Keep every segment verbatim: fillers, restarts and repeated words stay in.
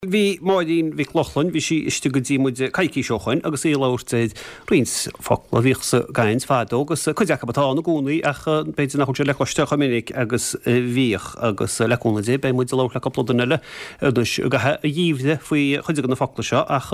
Bhí Máirín Mhic Lochlainn, bhí sí istigh go dtí muid coicís ó shoin agus í ag labhairt ar roinnt focla a bhíodh sa gcaint fadó agus cuid acu atá ann i gcónaí ach b'fhéidir nach bhfuil siad le cloisteáil chomh minic agus a bhíodh agus le cúnamh Dé beidh muid ag labhairt le cúpla duine eile anois i gcaitheamh an gheimhridh faoi chuid de na focla seo ach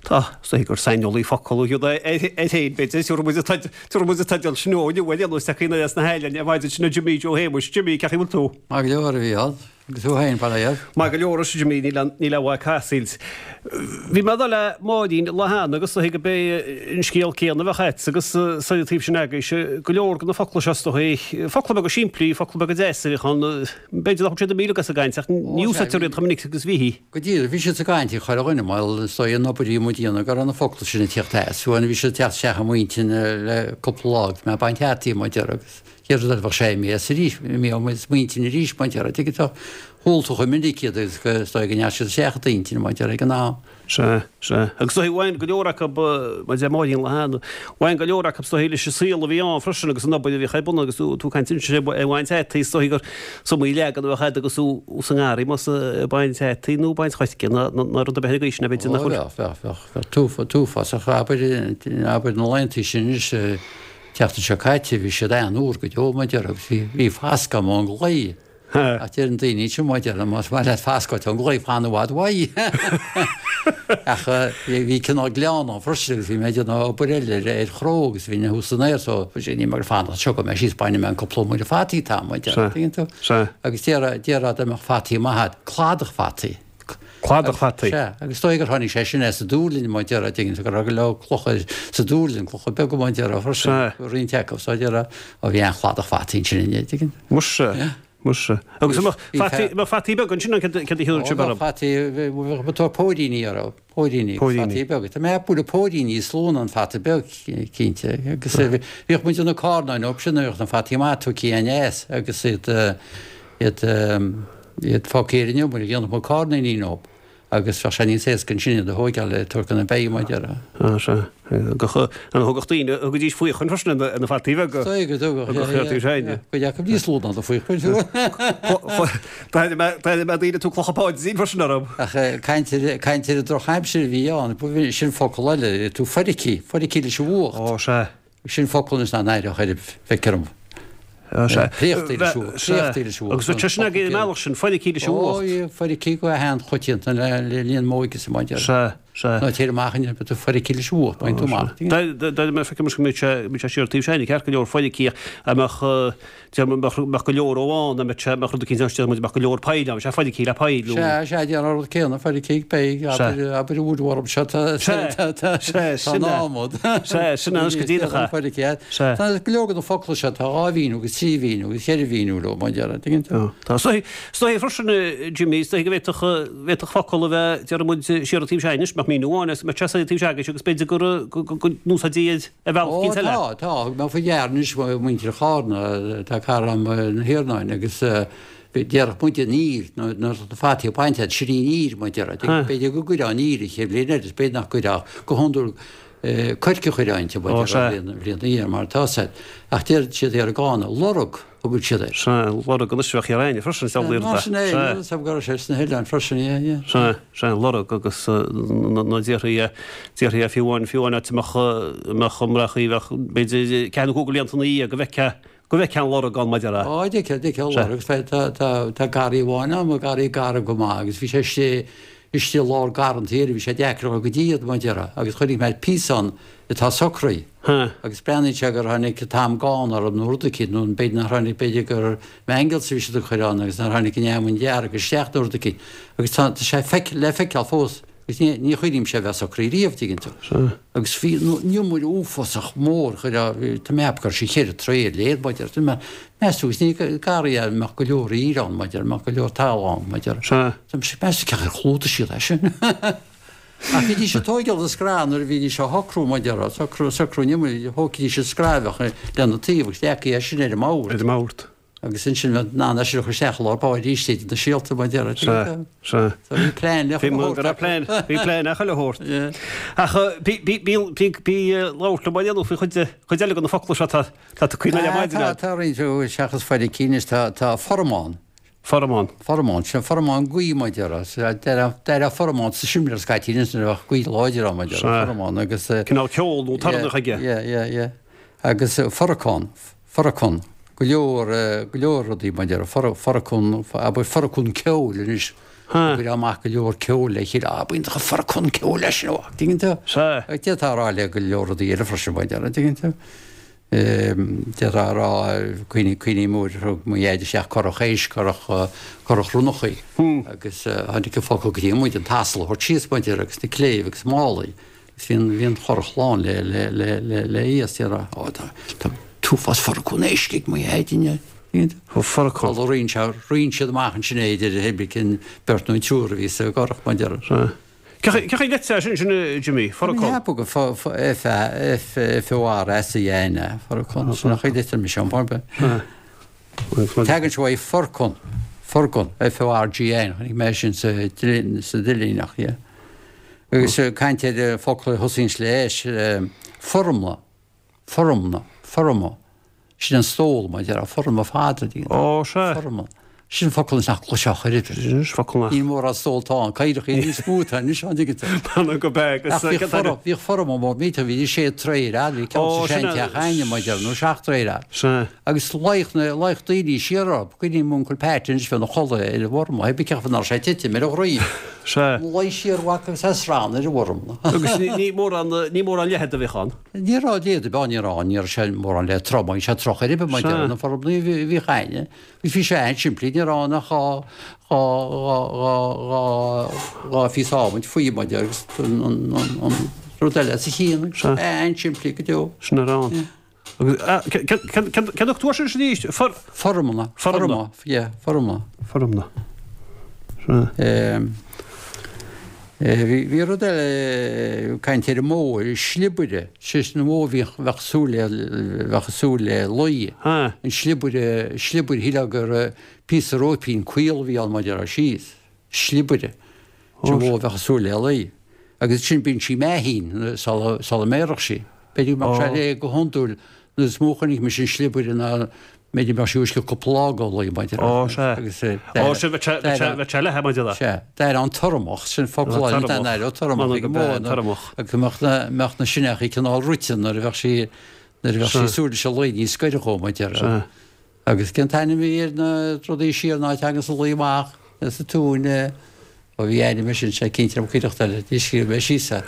tá is dóigh gur saineolaí focal iad air féin b'fhéidir. Tabharfaidh muid an tabharfaidh muid an teideal sin dó inniu ar aon nós ach as na hOileáin ar maidin sin Jimí Joe Shéamuis. Jimí, cén chaoi a bhfuil tú? Maith go leor a Mhícheál. Agus tú féin, bail ó Dhia ort? Maith go leor, arsa Jimí, níl níl aon mhaith casaoid. Bhí mé ag dul le Máirín an lá cheana agus is dóigh gurb é an scéal céanna a bheadh agat agus sa taobh sin agaibhse, go leor de na focla seo is dóigh, focla beaga simplí, focla beaga deasa a bhíodh ann, b'fhéidir nach bhfuil siad imithe uilig as an gcaint ach ní úsáidtear iad chomh minic agus a bhítí. Go díreach, bhí siad sa gcaint ag chuile dhuine, mar is dóigh an obair a bhí muid a dhéanamh go raibh na focla sin ag tíocht as, fiú amháin bhí siad ag teacht isteach i m'intinn le cúpla lá agus mé ag baint fhataí, mar a déarfá, agus Chéad rud eile bheadh sé imithe as arís, imithe ó m'intinn arís, mar a déarfá, tuigeann tú. Chuala tú chomh minic iad agus go, is dóigh go ndeachaigh siad isteach i d'intinn, mar a déarfá, ag an am. Sea, sea. Agus is dóigh, bhain go leor acu, mar a deir Máirín an lá cheana, bhain go leor acu is dóigh leis an saol a bhí ann freisin agus an obair a bhíodh ar bun agus tú ag caint ansin ar bhaint fhataí, is dóigh gur is iomaí leagan a bheadh agat agus tú sa ngarraí, más ag baint fhataí nó baint choirce nó rud ar bith ar an gcaoi sin, b'fhéidir nach bhfuil. Ó, bheadh, bheadh, bheadh, bheadh t-uafás, abair, abair na laethanta sin anois, Tseachtain seo caite bhí siad an-fhuar go deo, mar a déarfá, agus bhí, bhí fascadh agam ón gclaí. Ach deireann daoine ansin, mar a déarfá, más maith leat fascadh ón gclaí, fan i bhfad uaidh. Ach bhí, bhí cineál gleann ann freisin agus bhí mé ag déanamh obair eile ar, ar chró agus bhí mé thuas san aer so bhí ní mé ag fanacht anseo go mbeidh síos bainfidh mé an cúpla iomaire fataí atá agam, mar a déarfá, tuigeann tú? Agus déarfá, déarfá dá mbeadh fataí maith agat, cladach fataí. Cladach fataí. Sea, agus is dóigh gur tháinig sé sin as an Dúrlinn, mar a déarfá, tuigeann tú, go raibh go leor clocha sa Dúrlinn, clocha beaga, mar a déarfá, freisin, roinnt acu, so déarfá, ó bhí an-chladach fataí ansin inné, tuigeann tú. Muise, muise. Agus an mbeadh fataí, an mbeadh fataí beaga ansin, céard a thiúrfadh sibh orthu? Ó, bheadh fataí, bheadh, bheadh póiríní orthu, póiríní, fataí beaga. Tá mé ag ceapadh póiríní is lú ná an fata beag, cinnte, agus bhíodh muid ag déanamh carnáin orthu sin, bhíodh na fataí maithe tugtha aneas agus iad, iad, iad fágtha ar an iomaire, dhéanfadh muid carnáinín dóibh agus bheadh sé níos éasca ansin iad a thóigeáil le tabhairt go na beithígh, mar a déarfá. Á, sea. An dtugadh daoine, thugaidís faochain freisin ar na fataí beaga? Is dóigh go dtugadh, yeah, yeah, yeah. Cuid acu níos lú ná do faochain, fiú. D'airigh mé, d'airigh mé daoine ag tabhairt clocha Páidín freisin orthu. Ach caint ar, caint ar an drochaimsir a bhí ann, sin focal eile, tú feircithe, feircithe leis an bhfuacht. Ó, sea. Sin focal anois nach n-aireodh ar feictear dom. Préachtaí leis an bhfuacht. Préachtaí leis an bhfuacht. Agus bheadh sé sin againn an mbealach sin, feircithe leis an bhfuacht. Ó, feircithe go han-choitianta le linn m'óige sa mbaile. Sea, sea. Ná téir amach inniu, beidh tú feircithe leis an bhfuacht, bain tú amach. Deir mé, feicim go mbeidh sé, mbeidh sé siar taobh sin, ceart go leor feircithe, a mbeadh, Deir muid mbeadh go leor ó ann, a mbeadh sé, mbeadh rud eicínt ann, deir muid mbeadh go leor poill ann, sé feircithe le poill nó. Sea, sea, déarfá an rud céanna, feircithe, beidh, abair, abair an uair orm seo, tá, tá, tá, tá an adhmad. Sea, sin anois go díreach é. Feircithe. Sea. Tá go leor de na focla seo, tá dhá mhíniú agus trí mhíniú agus ceithre mhíniú leo, mar a déarfá, tuigeann tú? Tá. Is dóigh, is dóigh freisin, Jimmy, is dóigh go bhféadfadh, bhféadfadh focal a bheith, deir muid, siar an taobh seo anois, mbeadh míniú amháin agus mbeadh sé soir an taobh seo agaibhse agus b'fhéidir gur, go, go, go n-úsáidtí ar bhealach eicínt eile. Ó, tá, tá. Thug mé faoi deara anois muintir Chárna, tá cara agam na hIarnáin agus déarfadh muid an ír, nuair atá na fataí bainte agat, sin í an ír, mar a déarfá. B'fhéidir go gcuirfeá an ír an chéad bhliain eile, is b'fhéidir nach gcuirfeá, go hiondúil coirce a chuirfeá inti, mar a déarfá, an bhliain ina dhiaidh, mar atá said. Ach deir siad thiar i gCárna, lorg. Thugadh siad air. Sea, lorg anois bheadh thiar againne freisin, is amhlaidh rud é. Sea, níl 'fhios a'm go raibh sé sna hoileáin freisin, yeah, yeah. Sea, sea, lorg agus na déarfaí é, déarfaí é fiú amháin, fiú amháin áit a mbeadh, a mbeadh an mbrachaí, bheadh b'fhéidir ceathair nó cúig de bhlianta ina dhiaidh go bhfeicfeá, go bhfeicfeá an lorg ann, mar a déarfá. Á, d'fheicfeá, d'fheicfeá an lorg, tá, tá, tá, tá garraí amháin ann, garraí garbh go maith agus bhí sé istigh, istigh i lár garrantaí air, bhí sé deacair a dhul go dtí iad, mar a déarfá, agus chonaic mé píosa ann atá socraithe. Agus breathnaíonn sé gur tháinig an t-am gánna orthu nó rud eicínt, nó b'fhéidir nár tháinig, b'fhéidir gur mangels a bhí siad ag cur ann agus nár tháinig an fheamainn dhearg isteach nó rud eicínt. Agus tá sé feic, le feiceáil fós, agus ní, ní chuimhnímse é a bheith socraithe riamh, tuigeann tú. Agus bhí an iomaire uafásach mór, chuir, tá mé ag ceapadh go raibh sé cheithre troigh ar leithead, mar a déarfá. Tá mé, meas tú, agus ní garraí é a mbeadh go leor ír ann, mar a déarfá, mbeadh go leor talamh ann, mar a déarfá. Tá mé, meas tú cén chaoi ar chlúdaigh siad é sin? Ach bhídís ag tóigeáil an scraith nuair a bhídís á shocrú, mar a déarfá, socrú, socrú an iomaire, thógfaidís an scraith a bheadh lena taobh agus leagfaí é sin ar an mbord. Ar an mbord. Agus ansin bheadh in ann é sin a chur isteach i lár báire arís idir na síolta, mar a déarfá. Sea, sea. So bhí plean le chuile shórt. Bhí plean, bhí plean le chuile shórt. Ach bí, bí, bí, bí, bí labhairt liom mar dhéanamh faoi chuid, chuid eile de na focla seo atá, atá tugtha ar maidin. Tá, tá roinnt, seachas feiricín, tá, tá formáin. Forramán. Forramán, sin forramán gaoth mar a déarfá. Déarfá forramán sa simléar scaití anois nuair a bheadh gaoth láidir ann mar a déarfá, forramán agus. Cineál ceol nó torann aige. Yeah, yeah, yeah. Agus foracán, foracán, go leor, go leor rudaí mar a déarfá, foracán, abair foracán ceoil anois. Go amach go leor ceoil le chéile, ah, b'iontach an foracán ceoil leis sin, an dtuigeann tú? Sea. D'fhéadfá a rá le go leor rudaí eile freisin mar a déarfá, an dtuigeann tú? D'fhéadfá a rá, cuimhním uair a thug mo dhaid isteach curach éisc, curach, curach ronnachaí agus tháinig an focal go dtí muid, an t-asal a thabhairt síos mar a déarfá agus na cléibh agus málaí agus bhí an, bhí an churach lán le, le, le, le, le iasc, déarfá, ó tá, tá t-uafás foracún éisc ag mo dhaid inniu. Foracán. Roinn sé, roinn siad amach ansin é idir pé ar bith cén beirt nó an triúr a bhí sa gcurach mar a déarfá. Cén chaoi leitse sin sin Jimmy, foracán? Ceapadh go F F F O R S A N é, foracán, sin an chaoi a deirtear mise an bharba. Tagann sé uaidh forcan, forgan, F O R G N, chonaic mé sin sa sa Duinníneach, yeah. Agus caint ar focla a thosaíonns le S, formna, formna, forma. Sin an stól, mar a déarfá, forma fada a Ó, sea. Forma. Sin focal anois nach gcloisfeá chor ar bith. Sin focal nach. Níl mórán stólta ann, caorach níos mó atá anois an dtuigeann tú. B'fhéidir go beag. Ach bhíodh forma, bhíodh forma mór millteach, bhí sé troigh ar fhad, bhí ceann sa seanteach againne, mar a déarfá, nó seacht dtroigh ar fhad. Sea. Agus luíodh na, luíodh daoine siar orthu, cuimhním m'uncail Pat anois bheith ina chodladh ar an bhforma, pé ar bith cén chaoi nach raibh sé ag titim ar a dhroim. Sea. Luí siar uaidh agus é srann ar an bhforma. Agus ní mórán, ní mórán leithead a bhíodh ann. Ní raibh leithead ar bith ann, ní raibh, ní raibh sé mórán le trom, bhí sé trom chor ar bith mar a déarfá, na formaí a bhíodh againne. Agus bhí sé an-simplí, ní raibh ann ach dhá, dhá, dhá, dhá, dhá, dhá phíosa adhmaid faoi mar a déarfá agus an, an, an, an rud eile os a chionn. Sea. An-simplí go deo. Sin a raibh ann. Agus, cén dtugtar sin arís? For. Formna. Formna. Yeah, formna. Formna. Sea. Bhí, bhí rud eile, caint ar an mbó, sliobaire, sé sin an bhó a bhíodh, bheadh súil le, bheadh súil le lao. An sliobaire, sliobaire, shílfeá gur píosa róipín caol a bhí ann mar a déarfá síos. Sliobaire. Sin an bhó a bheadh súil le lao. Agus sin bíonn sí meathín sula, sula mbéarfadh sí. B'fhéidir go mbeadh sé léi go hiondúil nuair is mó a chonaic mise an sliobaire ná b'fhéidir go mbeadh sí uisce cúpla lá go lao mar a déarfá. Ó, sea. Agus Ó, sin bheadh sé, bheadh sé, bheadh sé leathan mar a déarfá. Sea. D'éirigh an tormach, sin focal eile, Tormach. d'éireodh tormach ag an mbó Tormach. Tormach. agus go mbeadh na, mbeadh na sineachaí cineál rite nuair a bheadh sí, nuair a bheadh sí Sea. súil leis an lao ní scoirfeadh dhó mar a déarfá. Sea. Agus cén t-ainm a bhí ar na rudaí siar ná teanga sa lao amach sa tóin, ó bhí ainm air sin, sé cinnte liom cuideachta eile, ní scríobh mé síos é.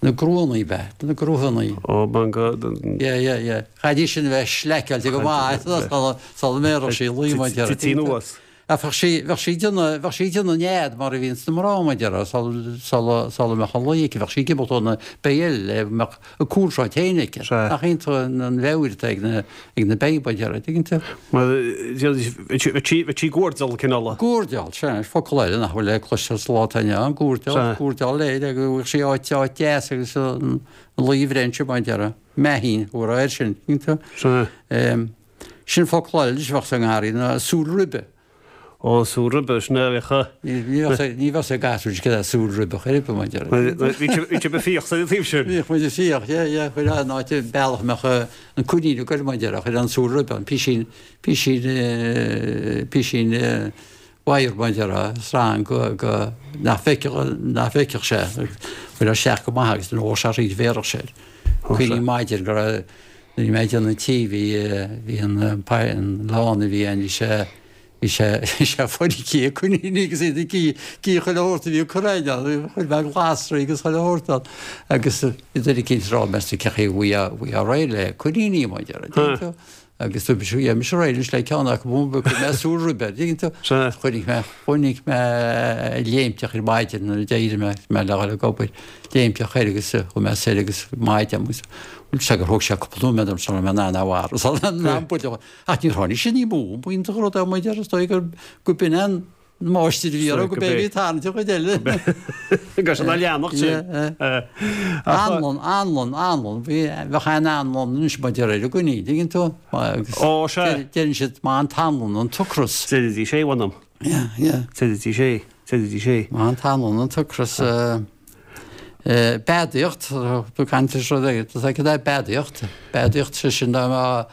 Na gruannaí ab ea? Na gruannaí. Ó, manga. Yeah, yeah, yeah. Chaithfidís sin a bheith sleaiceáilte go maith sula mbéarfadh sí lao mar a déarfá. Tití anuas. Ach bheadh sí, bheadh sí ag déanamh, bheadh sí ag déanamh nead mar a bhíonns na mná mar a déarfá, sula, sula, sula mbeadh an lao aici, bheadh sí ag imeacht ó na béithe eile le go mbeadh a cúlsráid féin aici. Sea. Nach iontach an, an mheabhair atá ag na, ag na béithe mar a déarfá, tuigeann tú? Mar, bheadh sí, bheadh sí ag guairdeall cineál. Guairdeall, sea, focal eile nach bhfuil le cloisteáil sa lá atá inniu ann, guairdeall, Sea. guairdeall léi le go bhfaigheadh sí áit, áit deas agus an lao a bhreith ansin mar a déarfá, meaithín, thabharfá air sin, tuigeann tú? Sea. Em, sin focal eile anois a bheadh sa ngarraí ná súil ribe. Ó, súil ribe, sin é a bheadh a. Ní, ní bheadh, ní bheadh ag gasúir cad é súil ribe chor ar bith, mar a déarfá. Bhí sibh ag fiach sa taobh sin. Bhíodh muid ag fiach, yeah, yeah, chuir an áit an bealach a mbeadh an coinín ag goil, mar a déarfá, chuir an súil ribe, an písín, písín, písín wire, mar a déarfá, srang go, go, nach bhfeicfeadh, nach bhfeicfeadh sé, chuir isteach go maith agus nuair a bhog sé thríd bhéarfadh sé air. Cuimhním maidin go raibh, nuair a bhí mé ag déanamh an tí, bhí, bhí an, an lána a bhí ann, bhí sé, Bhí sé bhí sé feicthe ag coiníní agus iad ag ithe chuile shórt a bhí ag cur ainn ann, chuir mé glasraí agus chuile shórt ann agus bhí duine eicínt ag rá meas tú cén chaoi a bhfaighfeá bhfaighfeá réidh le coiníní mar a déarfá, dtuigeann tú? Agus dúirt mise gheobhaidh mise réidh anois le ceann acu chuir mé súil ribe air, dtuigeann tú? Sea. Chonaic mé chonaic mé léimteach ar maidin nuair a d'éirigh mé mé le dhul ag obair, léimteach air agus chuaigh mé soir agus maidin agus bhuel sea gur thóg sé cúpla nóiméad orm sula raibh mé in ann é a mharú, sula raibh mé in ann buille a Ach níor tháinig sé ní mó, b'iontach an rud é mar a déarfá, is dóigh gur go b'in an máistir a bhí orthu, go b'é a bhí ag tarraingt an chuid eile. Go sin a leanacht sin. Anlann, anlann, anlann, bhí, bheadh an anlann anois mar a déarfá ar an gcoinín, dtuigeann tú? Agus Ó, sea. deireann siad maith an t-anlann an t-ocras. Deiridís é, mh'anam. Yeah, yeah. Deiridís é, deiridís é. Maith an t-anlann an t-ocras. Beadaíocht, tú caint ar rud éigin, tá cad é beadaíocht? Beadaíocht, sé sin dá mbeadh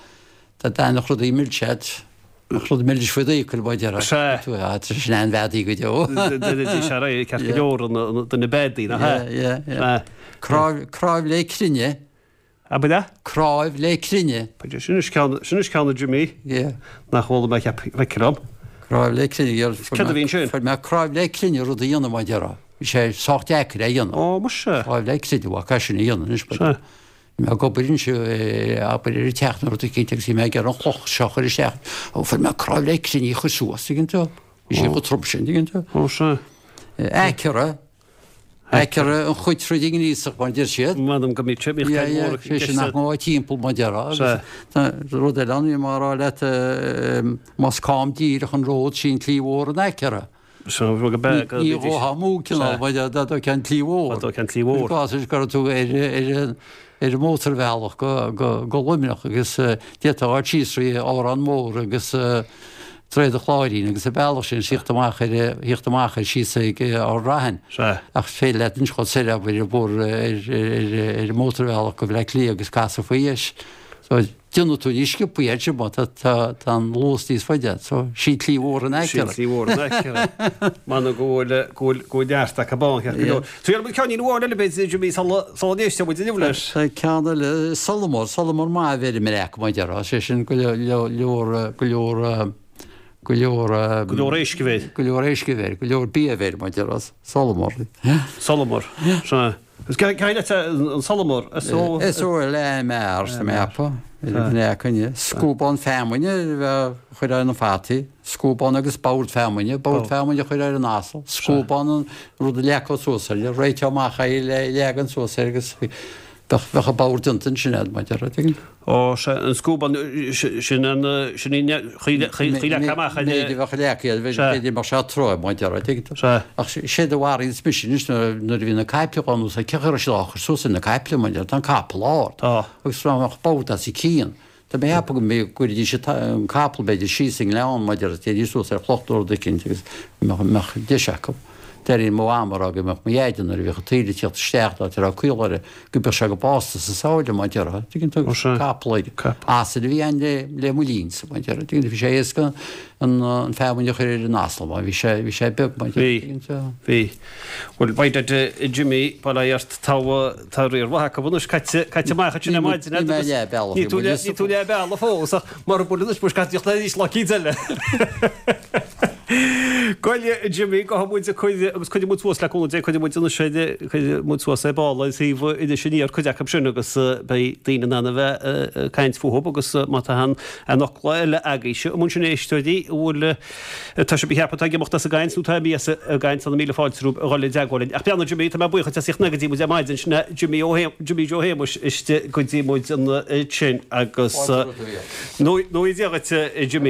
Dá dtaitneodh rudaí milse leat, Rud milis faoi d'fhiacail, mar a déarfá. Sea. Tú, ah, tá sin an-bheadaí go deo. Deiridís ar aghaidh, ceart go leor an duine beadaí, nach ea? Yeah, yeah, yeah. Cnáimh, cnáimh le crinne. Ab ea? Cnáimh le crinne. B'fhéidir, sin is ceann, sin is ceann a Jimmy. Yeah. Nach bhfuil mé cheap, feictear dom. Cnáimh le crinne, yeah. Céard a bhí ansin? Fuair mé cnáimh le crinne rud a dhéanamh, mar a déarfá. Bhí sé sách deacair é a dhéanamh. Ó, muise. Cnáimh le crinne, bhuel, caithfidh sin a dhéanamh anois, Sea. Bhí mé ag obair anseo, abair ar an teach nó rud eicínt agus bhí mé ag iarraidh an chloch seo a chur isteach. Ó, fuair mé cnáimh le crinne í a chur suas, tuigeann tú. Bhí sé chomh trom sin, tuigeann tú. Ó, sea. Aicearra. Aicearra an chuid troid i ngríosach, mar a deir siad. M'anam go mbíodh sé, bhíodh Yeah, ceann yeah, mór ag sé sin nach ngabhfá timpeall, mar a déarfá. Agus Sea. tá rud eile ann, bhí mé á rá leat, más cam díreach an ród, sí an tslí mhór an aicearra. Sea, rud go beag, Ní ghabhfá amú, cineál, mar dá dtógfá an tslí mhór. Dá dtógfá an tslí mhór. I gcás is go raibh tú ar ar ar an mótarbhealach go go go Luimneach agus d'fhéadfá a ghabháil síos trí Órán Mór agus Droichead an Chláirín agus an bealach sin thíocht amach ar thíocht amach ar síos ag Ard Raithin. Sea. Ach is féidir leat anois dhul soir abair ar bóthar ar ar ar an mótarbhealach go Bleá Cliath agus casadh faoi dheis. So déanfaidh tú níos sciobthaí air sin má tá tá tá an luas níos faide agat. So sí tslí mhór an Sí aicearra. tslí mhór an aicearra. M'anam go bhfuil go bhfuil go bhfuil neart acu ann ceart go leor. So iarraidh muid ceainnín amháin eile b'fhéidir Jimmy sula sula n-éisteann muid inniu leis. Tá ceann eile solamar, solamar maith a bheir i mBreac mar a déarfá, sé sin go leor leor go leor go leor Go leor éisc a bheir. go leor éisc a bheir, go leor bia a bheir mar a déarfá, solamar. Solamar. Sea. Is cé leat an solamar? S O S O L A M A R sa mheapa, ar an coinne. Scuabán feamainne a chur ar na fataí, scuabán agus bord feamainne, bord feamainne a chur ar an asal, scuabán an rud a leagfá suas air, réiteá amach é le leagan suas air agus bheadh bheadh an bord déanta ansin agat, mar a déarfá, tuigeann tú. Ó, sea, an scuabán, sin an, sin í, chaoi leagtha amach ar. Méid a bheadh leagtha air, b'fhéidir mbeadh sé trom, mar a déarfá, tuigeann tú. Sea. Ach séard a mharaíonns mise anois nuair a bhí na caiple dhá n-úsáid, cé chaoi a raibh siad á chur suas ar na caiple, mar a déarfá, tá an capall ard. Tá. Agus dá mbeadh bord os a cionn. Tá mé ag ceapadh go mbeadh, go gcuirfidís an capall b'fhéidir síos i ngleann, mar a déarfá, téidís suas ar chloch nó rud eicínt agus mbeadh, mbeadh deis acu. D'airínn mo mham ag rá go mbeadh mo dheaide nuair a bhíodh an taoille ag tíocht isteach nó áit a raibh caol uirthi, go mbeadh sé go básta sa samhradh mar a déarfá, tuigeann tú, Ó sea. capall aige. Capall. Asal a bhí ann le, le mo linnse mar a déarfá, tuigeann tú, bhí sé éasca an, an feamainn a chur ar an asal mar bhí sé, bhí sé beag mar a déarfá, Bhí. tuigeann tú. Bhí. Bhuel, beidh duit Jimmy, bail ó Dhia ort, tá, tá riar mhaith acu anois caite, caite amach ansin ar maidin Níl mé leath bealach, Ní tú leath, ní tú leath bealaigh fós ach mura bhfuil anois, muis caite le arís lá eicínt eile. Bhuel a Jimmy, gabhfaidh muid cuid agus cuirfidh muid suas le cúnamh Dé, cuirfidh muid anois ar, cuirfidh muid suas ar ball ar shuíomh Iris Aniar cuid acu sin agus beidh daoine in ann a bheith ag caint fúthu agus má tá aon fhocla eile agaibhse amuigh ansin a éisteoirí a bhfuil tá sibh ag ceapadh atá ag imeacht as an gcaint nó atá imithe as an gcaint tá na míle fáilte romhaibh a dhul i dteagmháil linn. Ach beannacht Jimmy, tá mé buíoch duit as ucht go dtí muid ar maidin, sin é Jimmy Ó Jimmy Joe Shéamuis istigh go dtí muid ansin agus Fáilte romhat a Mhícheáil. Nó Dia dhuit a Jimmy.